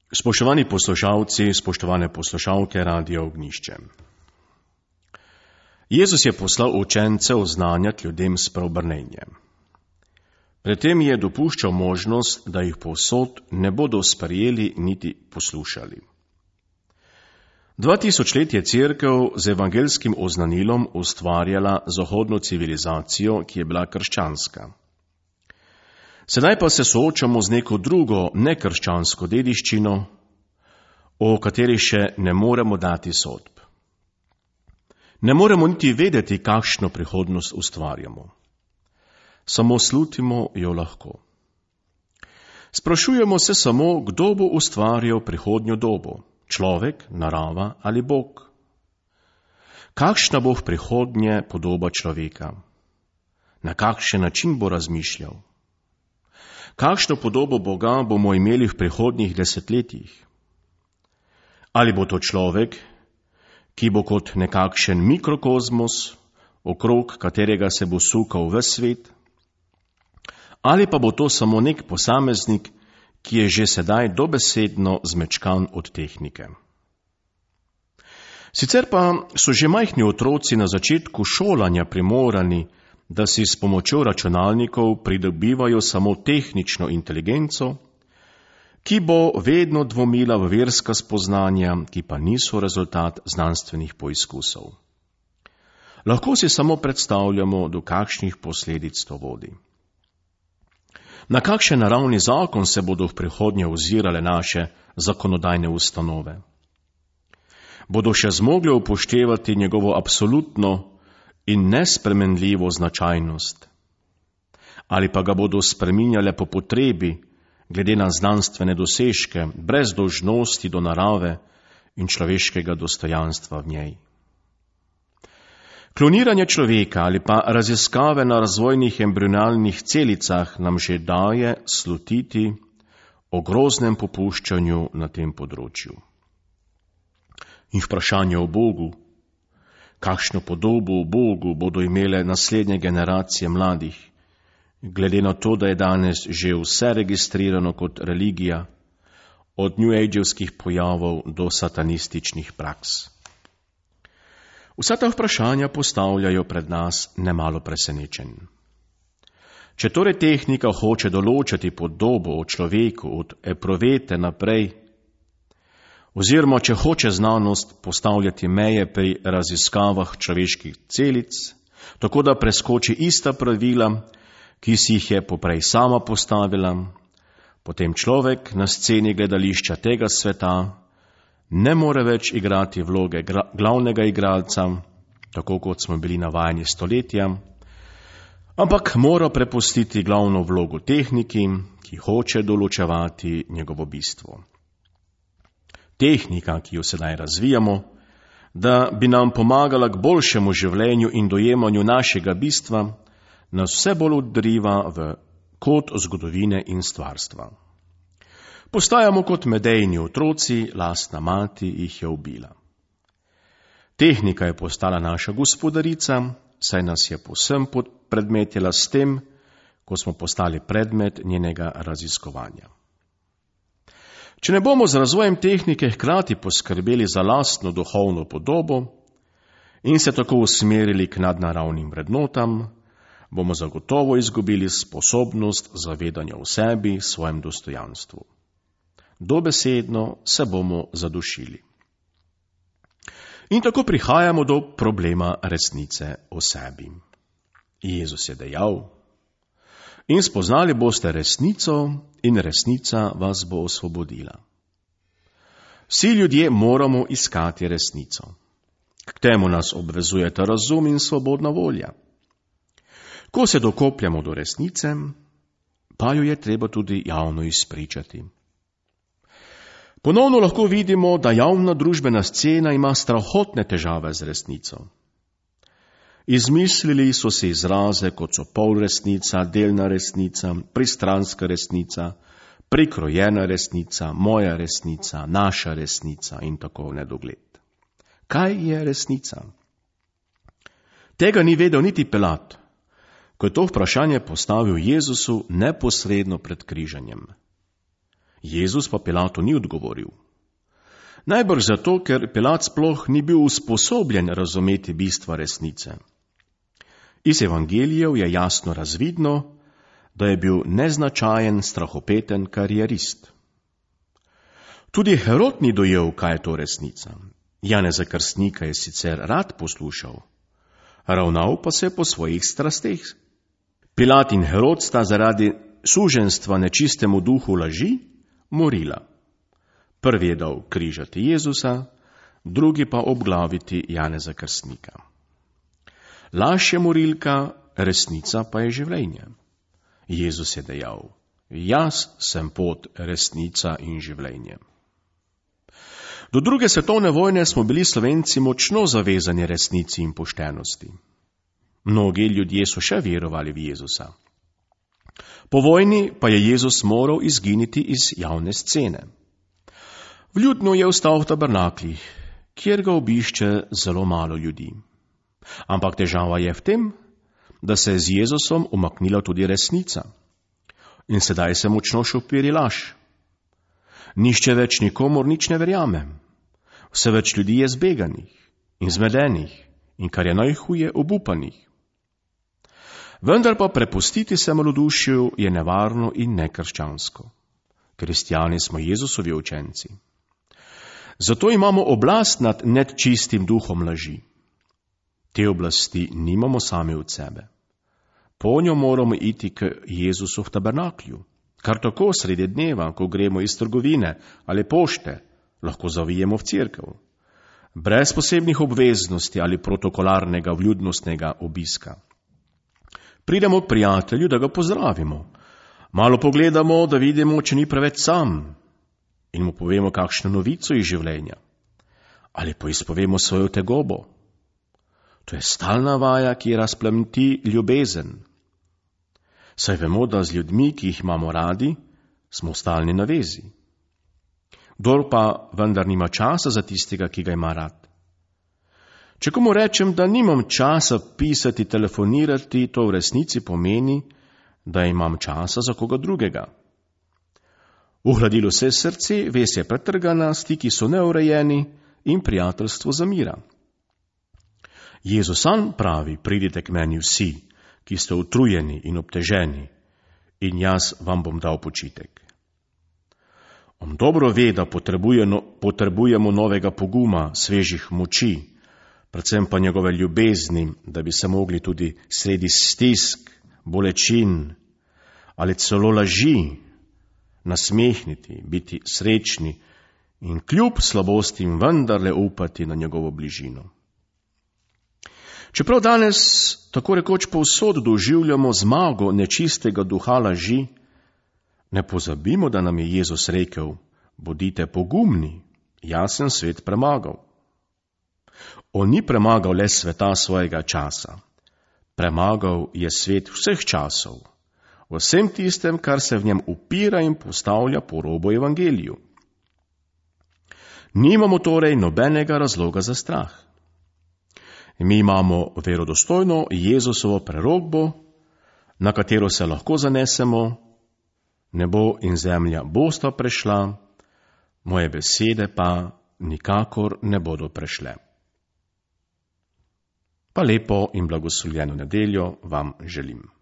Spoštovani poslušalci, spoštovane poslušalke Radia Ognjišče. Jezus je poslal učence oznanjati ljudem spreobrnenje. Pred tem je dopuščal možnost, da jih povsod ne bodo sprejeli niti poslušali. 2000 let je Cerkev z evangelskim oznanilom ustvarjala zahodno civilizacijo, ki je bila krščanska. Sedaj pa se soočamo z neko drugo nekrščansko dediščino, o kateri še ne moremo dati sodb. Ne moremo niti vedeti, kakšno prihodnost ustvarjamo. Samo slutimo jo lahko. Sprašujemo se samo, kdo bo ustvarjal prihodnjo dobo, človek, narava ali Bog. Kakšna bo v prihodnje podoba človeka? Na kakšen način bo razmišljal? Kakšno podobo Boga bomo imeli v prihodnjih desetletjih? Ali bo to človek, ki bo kot nekakšen mikrokozmos, okrog katerega se bo sukal ves svet? Ali pa bo to samo nek posameznik, ki je že sedaj dobesedno zmečkan od tehnike? Sicer pa so že majhni otroci na začetku šolanja primorani, da si s pomočjo računalnikov pridobivajo samo tehnično inteligenco, ki bo vedno dvomila v verska spoznanja, ki pa niso rezultat znanstvenih poizkusov. Lahko si samo predstavljamo, do kakšnih posledic to vodi. Na kakšen naravni zakon se bodo v prihodnje ozirale naše zakonodajne ustanove? Bodo še zmogle upoštevati njegovo absolutno in nespremenljivo značajnost? Ali pa ga bodo spreminjale po potrebi, glede na znanstvene dosežke, brez dolžnosti do narave in človeškega dostojanstva v njej? Kloniranje človeka ali pa raziskave na razvojnih embrionalnih celicah nam že daje slutiti o groznem popuščanju na tem področju. In vprašanje o Bogu, kakšno podobo o Bogu bodo imele naslednje generacije mladih, glede na to, da je danes že vse registrirano kot religija, od New Age-evskih pojavov do satanističnih praks. Vsa ta vprašanja postavljajo pred nas nemalo presenečenj. Če torej tehnika hoče določati podobo o človeku od epruvete naprej, oziroma če hoče znanost postavljati meje pri raziskavah človeških celic, tako da preskoči ista pravila, ki si jih je poprej sama postavila, potem človek na sceni gledališča tega sveta ne more več igrati vloge glavnega igralca, tako kot smo bili navajeni stoletja, ampak mora prepustiti glavno vlogo tehniki, ki hoče določevati njegovo bistvo. Tehnika, ki jo sedaj razvijamo, da bi nam pomagala k boljšemu življenju in dojemanju našega bistva, nas vse bolj odriva v kot zgodovine in stvarstva. Postajamo kot medejni otroci, lastna mati jih je ubila. Tehnika je postala naša gospodarica, saj nas je povsem predmetila s tem, ko smo postali predmet njenega raziskovanja. Če ne bomo z razvojem tehnike hkrati poskrbeli za lastno duhovno podobo in se tako usmerili k nadnaravnim vrednotam, bomo zagotovo izgubili sposobnost zavedanja o sebi, svojem dostojanstvu. Dobesedno se bomo zadušili. In tako prihajamo do problema resnice o sebi. Jezus je dejal: in spoznali boste resnico in resnica vas bo osvobodila. Vsi ljudje moramo iskati resnico. K temu nas obvezujeta razum in svobodna volja. Ko se dokopljamo do resnice, pa jo je treba tudi javno izpričati. Ponovno lahko vidimo, da javna družbena scena ima strahotne težave z resnico. Izmislili so se izraze, kot so polresnica, delna resnica, pristranska resnica, prikrojena resnica, moja resnica, naša resnica in tako v nedogled. Kaj je resnica? Tega ni vedel niti Pilat, ko je to vprašanje postavil Jezusu neposredno pred križanjem. Jezus pa Pilatu ni odgovoril. Najbrž zato, ker Pilat sploh ni bil usposobljen razumeti bistva resnice. Iz evangelijev je jasno razvidno, da je bil neznačajen, strahopeten karierist. Tudi Herod ni dojel, kaj je to resnica. Janeza Krstnika je sicer rad poslušal, ravnal pa se po svojih strasteh. Pilat in Herod sta zaradi suženjstva nečistemu duhu laži morila. Prvi je dal križati Jezusa, drugi pa obglaviti Janeza Krstnika. Laž je morilka, resnica pa je življenje. Jezus je dejal: jaz sem pot, resnica in življenje. Do druge svetovne vojne smo bili Slovenci močno zavezani resnici in poštenosti. Mnogi ljudje so še verovali v Jezusa. Po vojni pa je Jezus moral izginiti iz javne scene. Vljudno je ostal v tabernaklih, kjer ga obišče zelo malo ljudi. Ampak težava je v tem, da se je z Jezusom umaknila tudi resnica. In sedaj se močno šopiri laž. Nihče več nikomur nič ne verjame. Vse več ljudi je zbeganih in zmedenih in, kar je najhuje, obupanih. Vendar pa prepustiti se malodušju je nevarno in nekrščansko. Kristjani smo Jezusovi učenci. Zato imamo oblast nad nečistim duhom laži. Te oblasti nimamo sami od sebe. Po njo moramo iti k Jezusu v tabernaklju. Kar tako sredi dneva, ko gremo iz trgovine ali pošte, lahko zavijemo v cerkev. Brez posebnih obveznosti ali protokolarnega vljudnostnega obiska. Pridemo k prijatelju, da ga pozdravimo. Malo pogledamo, da vidimo, če ni preveč sam, in mu povemo kakšno novico iz življenja. Ali poizpovemo svojo tegobo. To je stalna vaja, ki razplamti ljubezen. Saj vemo, da z ljudmi, ki jih imamo radi, smo v stalni navezi. Kdor pa vendar nima časa za tistega, ki ga ima rad. Če komu rečem, da nimam časa pisati, telefonirati, to v resnici pomeni, da imam časa za koga drugega. Uhladilo se srce, vez je pretrgana, stiki so neurejeni in prijateljstvo zamira. Jezus sam pravi: pridite k meni vsi, ki ste utrujeni in obteženi, in jaz vam bom dal počitek. On dobro ve, da potrebujemo novega poguma, svežih moči, predvsem pa njegove ljubezni, da bi se mogli tudi sredi stisk, bolečin ali celo laži nasmehniti, biti srečni in kljub slabostim vendarle upati na njegovo bližino. Čeprav danes tako rekoč povsod doživljamo zmago nečistega duha laži, ne pozabimo, da nam je Jezus rekel: bodite pogumni, jaz sem svet premagal. On ni premagal le sveta svojega časa, premagal je svet vseh časov, vsem tistem, kar se v njem upira in postavlja po robu evangeliju. Nimamo torej nobenega razloga za strah. Mi imamo verodostojno Jezusovo prerokbo, na katero se lahko zanesemo: nebo in zemlja bosta prešla, moje besede pa nikakor ne bodo prešle. Pa lepo in blagoslovljeno nedeljo vam želim.